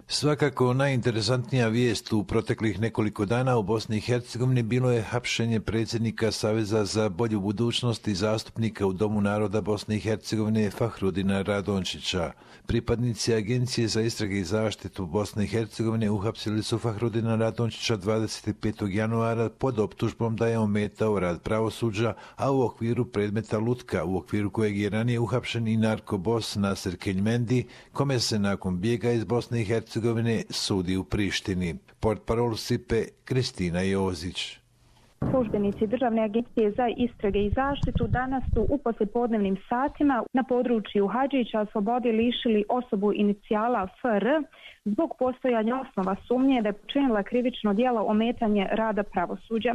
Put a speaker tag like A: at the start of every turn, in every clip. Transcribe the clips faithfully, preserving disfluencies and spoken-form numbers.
A: Svakako najinteresantnija vijest u proteklih nekoliko dana u Bosni i Hercegovini bilo je hapšenje predsjednika Saveza za bolju budućnost i zastupnika u Domu naroda Bosne i Hercegovine Fahrudina Radončića. Pripadnici Agencije za istrage i zaštitu Bosne i Hercegovine uhapsili su Fahrudina Radončića dvadeset petog januara pod optužbom da je ometao rad pravosuđa, a u okviru predmeta lutka, u okviru kojeg je ranije uhapšen i narkobos Naser Keljmendi, kome se nakon bijega iz Bosne i Hercegovine sudi u Prištini. Portparol S I P E Kristina Jozić.
B: Službenici Državne agencije za istrage i zaštitu danas su u poslijepodnevnim satima na području Hadžića slobode lišili osobu inicijala F R zbog postojanja osnova sumnje da je počinila krivično djelo ometanje rada pravosuđa.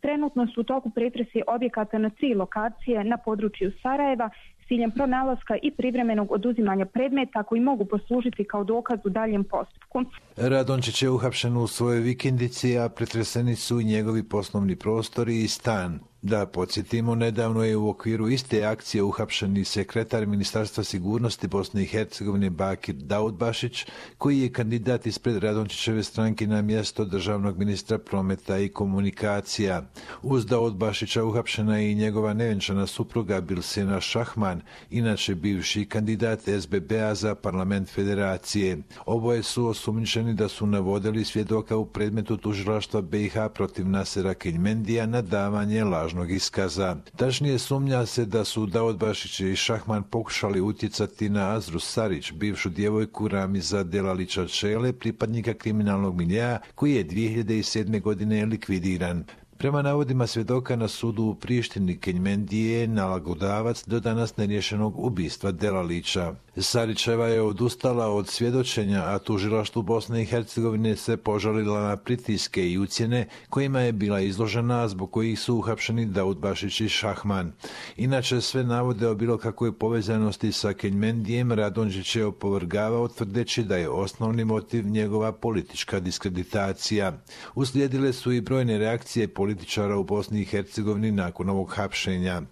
B: Trenutno su u toku pretresi objekata na tri lokacije na području Sarajeva s ciljem pronalaska i privremenog oduzimanja predmeta koji mogu poslužiti kao dokaz u daljem postupku.
A: Radončić je uhapšen u svojoj vikendici, a pretreseni su i njegovi poslovni prostori i stan. Da podsjetimo, nedavno je u okviru iste akcije uhapšen i sekretar Ministarstva sigurnosti Bosne i Hercegovine Bakir Daudbašić, koji je kandidat ispred Radončićeve stranke na mjesto državnog ministra prometa i komunikacija. Uz Daudbašića uhapšena je i njegova nevenčana supruga Bilsena Šahman, inače bivši kandidat S B B-a za parlament federacije. Oboje su osumnjičeni da su navodili svjedoka u predmetu tužilaštva B i H protiv Nasera Keljmendija na davanje lažnog iskaza. Tačnije, sumnja se da su Daudbašić i Šahman pokušali utjecati na Azru Sarić, bivšu djevojku Ramiza Delalića Čele, pripadnika kriminalnog miljea, koji je dvije hiljade sedme. godine likvidiran. Prema navodima svjedoka na sudu u Prištini, Keljmendi je nalagodavac do danas neriješenog ubistva Delalića. Sarićeva je odustala od svjedočenja, a tužilaštvu Bosne i Hercegovine se požalila na pritiske i ucjene kojima je bila izložena, zbog kojih su uhapšeni Daudbašić i Šahman. Inače, sve navode o bilo kakvoj povezanosti sa Keljmendijem Radončić je opovrgavao, tvrdeći da je osnovni motiv njegova politička diskreditacija. Uslijedile su i brojne reakcije političara u Bosni i Hercegovini nakon ovog hapšenja.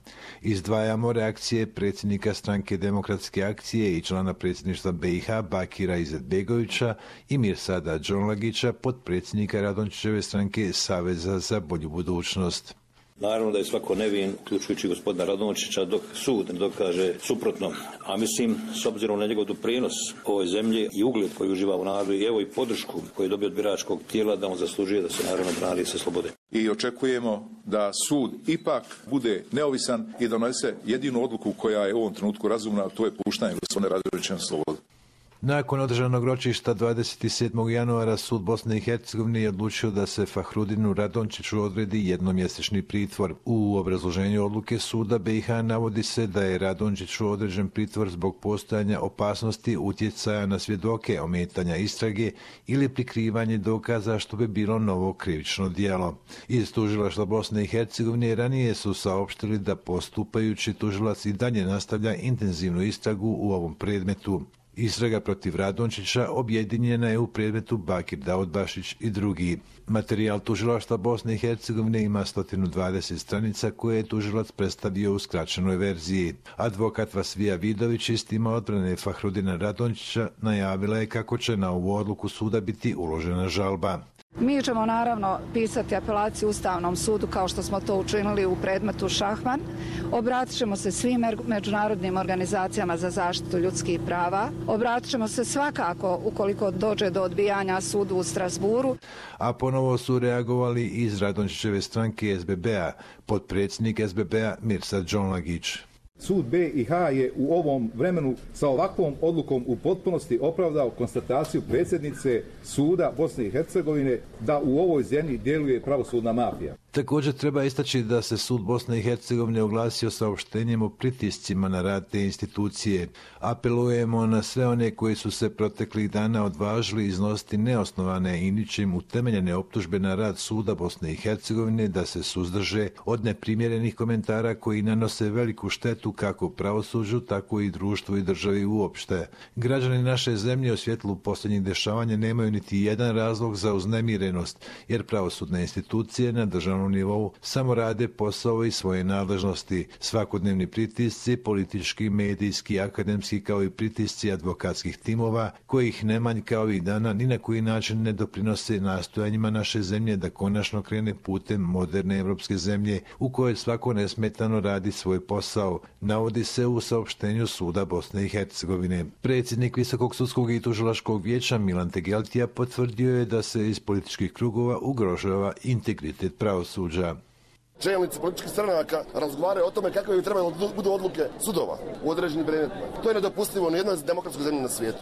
A: Izdvajamo reakcije predsjednika stranke Demokratske akcije i člana predsjedništva B i H Bakira Izetbegovića i Mirsada Džonlagića, potpredsjednika Radončićeve stranke Saveza za bolju budućnost.
C: Naravno da je svako nevin, uključujući gospodina Radončića, dok sud ne dokaže suprotno. A mislim, s obzirom na njegov doprinos ovoj zemlji i ugled koji uživa u narodu i evo i podršku koju je dobio od biračkog tijela, da on zaslužuje da se naravno brani sa slobode.
D: I očekujemo da sud ipak bude neovisan i donese jedinu odluku koja je u ovom trenutku razumna, a to je puštanje gospodina Radončića na slobodu.
A: Nakon održanog ročišta dvadeset sedmog januara sud Bosne i Hercegovine je odlučio da se Fahrudinu Radončiću odredi jednomjesečni pritvor. U obrazloženju odluke suda B i H navodi se da je Radončiću određen pritvor zbog postojanja opasnosti utjecaja na svjedoke, ometanja istrage ili prikrivanje dokaza, što bi bilo novo krivično djelo. Iz tužilaštva Bosne i Hercegovine ranije su saopštili da postupajući tužilac i dalje nastavlja intenzivnu istragu u ovom predmetu. Istraga protiv Radončića objedinjena je u predmetu Bakir Daudbašić i drugi. Materijal tužilaštva Bosne i Hercegovine ima sto dvadeset stranica koje je tužilac predstavio u skraćenoj verziji. Advokat Vasvija Vidović iz tima odbrane Fahrudina Radončića najavila je kako će na ovu odluku suda biti uložena žalba.
E: Mi ćemo naravno pisati apelaciju Ustavnom sudu kao što smo to učinili u predmetu Šahman. Obratit ćemo se svim međunarodnim organizacijama za zaštitu ljudskih prava. Obratit ćemo se svakako ukoliko dođe do odbijanja sudu u Strasburu.
A: A ponovo su reagovali iz Radončićeve stranke S B B-a, potpredsjednik S B B-a Mirsad Džonlagić.
F: Sud B i H je u ovom vremenu sa ovakvom odlukom u potpunosti opravdao konstataciju predsjednice suda Bosne i Hercegovine da u ovoj zemlji djeluje pravosudna mafija.
A: Također treba istaći da se sud Bosne i Hercegovine oglasio saopštenjem o pritiscima na rad te institucije. Apelujemo na sve one koji su se proteklih dana odvažili iznositi neosnovane i ničim utemeljene optužbe na rad suda Bosne i Hercegovine da se suzdrže od neprimjerenih komentara koji nanose veliku štetu kako pravosuđu, tako i društvu i državi uopšte. Građani naše zemlje u svjetlu posljednjih dešavanja nemaju niti jedan razlog za uznemirenost, jer pravosudne institucije na državnom lokalnom nivou samo rade posao i svoje nadležnosti. Svakodnevni pritisci, politički, medijski, akademski kao i pritisci advokatskih timova, kojih ne manjka ovih dana, ni na koji način ne doprinose nastojanjima naše zemlje da konačno krene putem moderne evropske zemlje u kojoj svako nesmetano radi svoj posao, navodi se u saopštenju Suda Bosne i Hercegovine. Predsjednik Visokog sudskog i tužilačkog vijeća Milan Tegeltija potvrdio je da se iz političkih krugova ugrožava integritet pravosuđa.
G: Čelnici političkih stranaka razgovaraju o tome kakve bi trebalo budu odluke sudova u određenim predmetima. To je nedopustivo u jednoj demokratskoj zemlji na svijetu.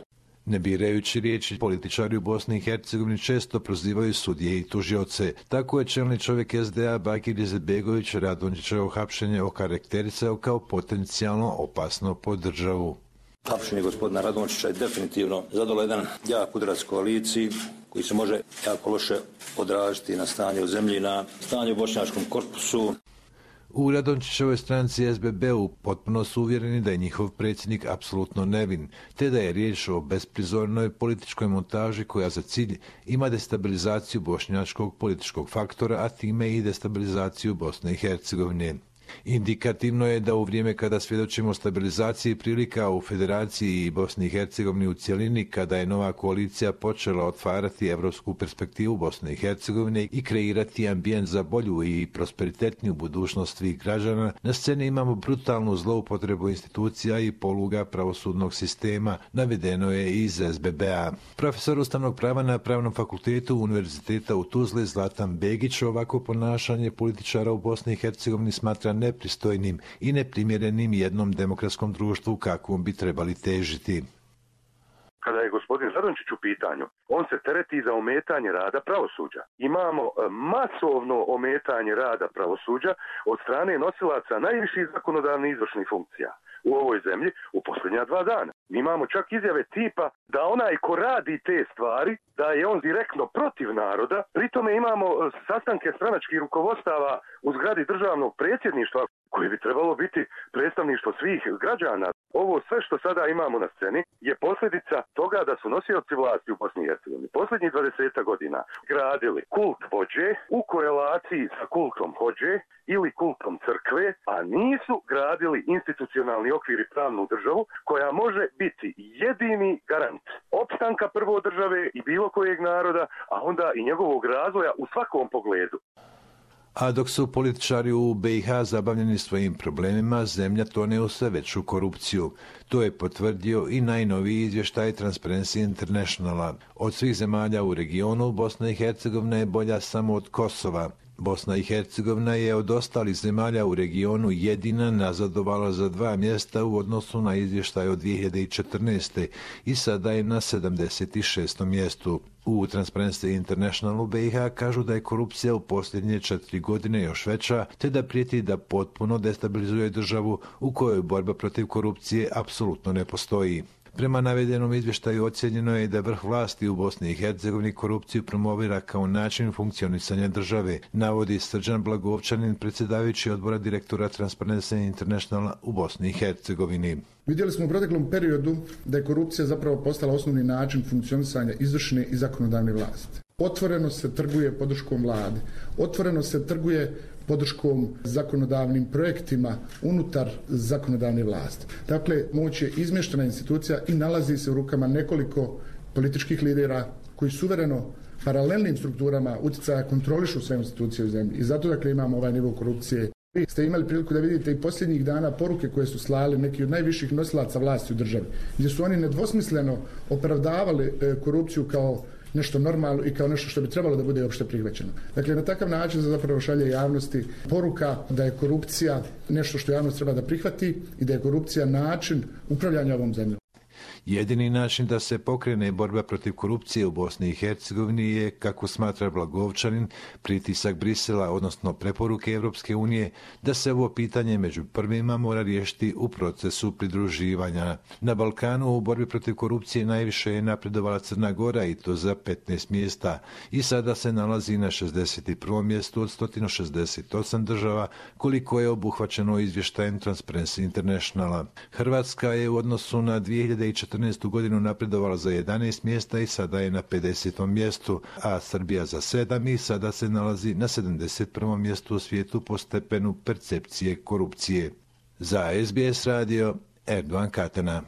A: Ne birajući riječi, političari u Bosni i Hercegovini često prozivaju sudije i tužioce. Tako je čelni čovjek es de a Bakir Izetbegović Radončićevo hapšenje okarakterisao kao potencijalno opasno po državu.
C: Hapšenje gospodina Radončića je definitivno zadalo jedan jak udarac koaliciji koji se može jako loše odraziti na stanje u zemlji, na stanje u bošnjačkom korpusu.
A: U Radončićevoj stranci es be be u potpuno su uvjereni da je njihov predsjednik apsolutno nevin, te da je riječ o besprizornoj političkoj montaži koja za cilj ima destabilizaciju bošnjačkog političkog faktora, a time i destabilizaciju Bosne i Hercegovine. Indikativno je da u vrijeme kada svjedočimo stabilizaciji prilika u Federaciji i Bosni i Hercegovini u cjelini, kada je nova koalicija počela otvarati evropsku perspektivu Bosne i Hercegovine i kreirati ambijent za bolju i prosperitetniju budućnost svih građana, na sceni imamo brutalnu zloupotrebu institucija i poluga pravosudnog sistema, navedeno je iz es be be a. Profesor ustavnog prava na Pravnom fakultetu Univerziteta u Tuzli Zlatan Begić ovako ponašanje političara u Bosni i Hercegovini smatra nepristojnim i neprimjerenim jednom demokratskom društvu kakvom bi trebali težiti.
H: Kada je gospodin Radončić u pitanju, on se tereti za ometanje rada pravosuđa. Imamo masovno ometanje rada pravosuđa od strane nosilaca najviših zakonodavnih izvršnih funkcija u ovoj zemlji u posljednja dva dana. Mi imamo čak izjave tipa da onaj ko radi te stvari, da je on direktno protiv naroda. Pritome imamo sastanke stranačkih rukovodstava u zgradi državnog predsjedništva koje bi trebalo biti predstavništvo svih građana. Ovo sve što sada imamo na sceni je posljedica toga da su nosioci vlasti u Bosni i Hercegovini posljednjih dvadeset godina gradili kult vođe u korelaciji sa kultom hođe ili kultom crkve, a nisu gradili institucionalni okvir i pravnu državu koja može biti jedini garant opstanka prvo države i bilo kojeg naroda, a onda i njegovog razvoja u svakom pogledu.
A: A dok su političari u be i ha zabavljeni svojim problemima, zemlja tone u sve veću korupciju. To je potvrdio i najnoviji izvještaj Transparency Internationala. Od svih zemalja u regionu, Bosna i Hercegovina je bolja samo od Kosova. Bosna i Hercegovina je od ostalih zemalja u regionu jedina nazadovala za dva mjesta u odnosu na izvještaj od dvije hiljade četrnaeste. i sada je na sedamdeset šestom mjestu. U Transparency International u be i ha kažu da je korupcija u posljednje četiri godine još veća, te da prijeti da potpuno destabilizuje državu u kojoj borba protiv korupcije apsolutno ne postoji. Prema navedenom izvještaju ocjenjeno je da vrh vlasti u Bosni i Hercegovini korupciju promovira kao način funkcionisanja države, navodi Srđan Blagovčanin, predsjedavajući odbora direktora Transparency International u Bosni i Hercegovini.
I: Vidjeli smo u proteklom periodu da je korupcija zapravo postala osnovni način funkcionisanja izvršne i zakonodavne vlasti. Otvoreno se trguje podrškom vlade, otvoreno se trguje podrškom zakonodavnim projektima unutar zakonodavne vlasti. Dakle, moć je izmještena institucija i nalazi se u rukama nekoliko političkih lidera koji suvereno paralelnim strukturama utjecaja kontrolišu sve institucije u zemlji. I zato dakle imamo ovaj nivo korupcije. Vi ste imali priliku da vidite i posljednjih dana poruke koje su slali neki od najviših nosilaca vlasti u državi, gdje su oni nedvosmisleno opravdavali korupciju kao nešto normalno i kao nešto što bi trebalo da bude opšte prihvaćeno. Dakle, na takav način se zapravo šalje javnosti poruka da je korupcija nešto što javnost treba da prihvati i da je korupcija način upravljanja ovom zemljom.
A: Jedini način da se pokrene borba protiv korupcije u Bosni i Hercegovini je, kako smatra Blagovčanin, pritisak Brisela, odnosno preporuke Evropske unije, da se ovo pitanje među prvima mora riješiti u procesu pridruživanja. Na Balkanu u borbi protiv korupcije najviše je napredovala Crna Gora i to za petnaest mjesta i sada se nalazi na šezdeset prvom mjestu od sto šezdeset osam država, koliko je obuhvaćeno izvještajem Transparency Internationala. Hrvatska je u odnosu na dvije hiljade četrnaeste. četrnaestu godinu napredovala za jedanaest mjesta i sada je na pedesetom mjestu, a Srbija za sedam i sada se nalazi na sedamdeset prvom mjestu u svijetu po stepenu percepcije korupcije. Za S B S radio, Erdogan Katana.